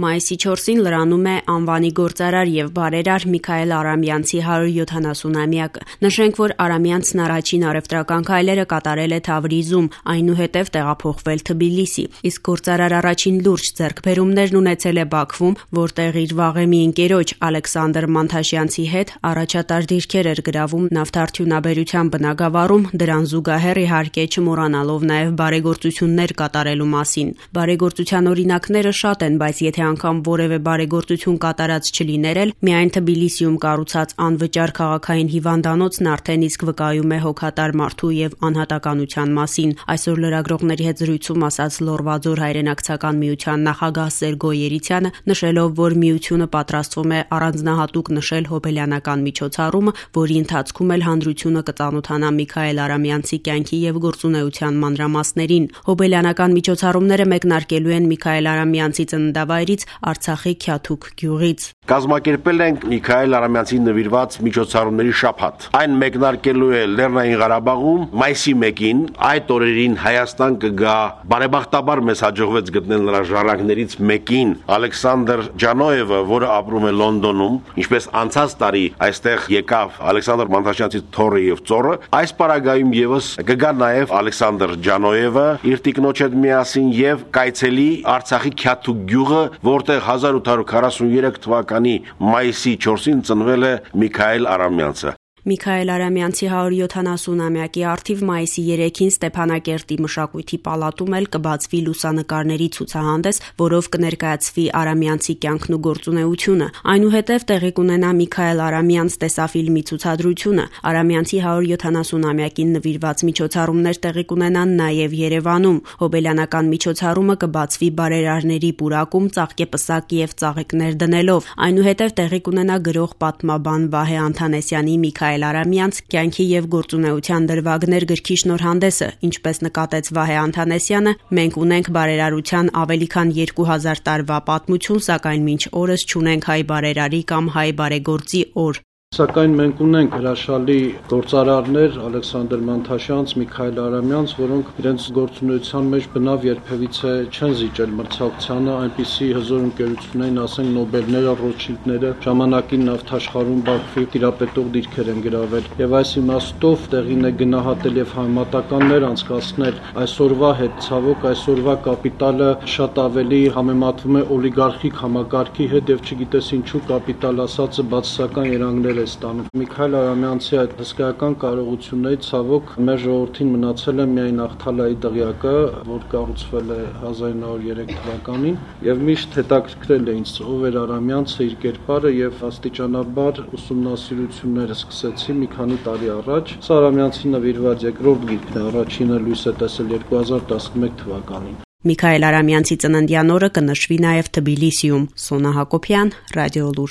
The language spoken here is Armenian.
Մայիսի 4-ին լրանում է անվանի գործարար եւ բարերար Միքայել Արամյանցի 170-ամյակը։ Նշենք, որ Արամյանցն առաջին առևտրական քայլերը կատարել է Թավրիզում, այնուհետև տեղափոխվել Թբիլիսի, իսկ գործարար առաջին լուրջ ձեռքբերումներն ունեցել է Բաքվում, որտեղ իր վաղեմի ընկերոջ Ալեքսանդր Մանթաշյանցի հետ առաջատար դիրքեր էր գրավում նավթարդյունաբերության բնագավառում, դրան զուգահեռ իհարկե չմոռանալով նաեւ բարեգործություններ կատարելու մասին։ Բարեգործության օրինակները շատ են, բայց եթե անգամ որևէ բարեգործություն կատարած չլիներ էլ, միայն Թբիլիսիում կառուցած անվճար քաղաքային հիվանդանոցն արդեն իսկ վկայում է հոգատար մարդու եւ անհատականության մասին։ Այսօր լրագրողների հետ զրույցում ասաց Լոռվաձոր հայրենակցական միության նախագահ Սերգո Երիցյանը, նշելով, որ միությունը պատրաստվում է առանձնահատուկ նշել հոբելյանական միջոցառումը, որի ընթացքում էլ հանրությունը կծանոթանա Միքայել Արամյանցի կյանքի եւ գործունեության մանրամասներին։ Հոբելյանական միջոցառումները մեկնարկելու են Միքայել Արամյանցի ծննդավայրից Արցախի Քյաթուք գյուղից։ Կազմակերպել ենք Միքայել Արամյանցին նվիրված միջոցառումների շաբաթ։ Այն մեկնարկելու է Լեռնային Ղարաբաղում մայիսի 1-ին, այդ օրերին Հայաստան կգա, բարեբախտաբար մեզ հաջողվեց գտնել նրա ժառանգներից մեկին, Ալեքսանդր Ջանոևը, որը ապրում է Լոնդոնում, ինչպես անցած տարի այստեղ եկավ Ալեքսանդր Մանթաշյանցի թոռը եւ ծոռը, այս պարագայում եւս կգա նաեւ Ալեքսանդր Ջանոևը իր տիկնոջ հետ միասին եւ կայցելի Արցախի Քյաթուք գյուղը, որտեղ 1843 թվականի մայիսի 4-ին ծնվել է Միքայել Արամյանցը։ Միքայել Արամյանցի 170-ամյակի առթիվ մայիսի 3-ին Ստեփանակերտի մշակույթի պալատում էլ կբացվի լուսանկարների ցուցահանդես, որով կներկայացվի Արամյանցի կյանքն ու գործունեությունը։ Այնուհետև տեղի կունենա Միքայել Արամյանց տեսաֆիլմի ցուցադրությունը։ Արամյանցի 170-ամյակին նվիրված միջոցառումներ տեղի կունենան նաև Երևանում։ Հոբելյանական միջոցառումը կբացվի բարերարների պուրակում ծաղկեպսակ եւ ծաղիկներ դնելով։ Այնուհետև տեղի կունենա գրող պատմաբան Վահե Անթանեսյանի Միքայել Արամյանց կյանքի եւ գործունեության դրվագներ գրքի շնորհանդեսը, ինչպես նկատեց Վահե Անթանեսյանը, մենք ունենք բարերարության ավելի քան 2000 տարվա պատմություն, սակայն մինչ օրս չունենք հայ բարերարի կամ հայ բարեգործի օր։ Սակայն մենք ունենք հրաշալի գործարարներ Ալեքսանդր Մանթաշյանց, Միքայել Արամյանց, որոնք իրենց գործունեության մեջ բնավ երբևիցե չեն զիջել մրցակցությանը, այնպիսի հզոր ընկերություններ են, ասենք Նոբելները, Ռոթշիլդները, ժամանակին նավթաշխարհում Բաքվի տիրապետող դիրքեր են գրավել։ Եվ այս իմաստով տեղին է գնահատել եւ համեմատականներ անցկացնել այսօրվա հետ, ցավոք այսօրվա կապիտալը շատ ավելի համեմատվում է օլիգարխիկ համակարգի հետ եւ չգիտես ինչու կապիտալ ասածը բացասական երանգներ ստանում։ Միքայել Արամյանցի այդ հսկայական կարողություններից ցավոք մեր ժողովրդին մնացել է միայն Ախթալայի դղյակը, որ կառուցվել է 1903 թվականին եւ միշտ հետաքրքրել է ինձ ով էր Արամյանցը, իր կերպարը եւ աստիճանաբար ուսումնասիրությունները սկսեցի մի քանի տարի առաջ։ Սա Արամյանցի նվիրված երկրորդ գիրքն է, առաջինը լույս է տեսել 2011 թվականին։ Միքայել Արամյանցի ծննդյան օրը կնշվի նաև Թբիլիսիում։ Սոնա Հակոբյան, Ռադիոլուր։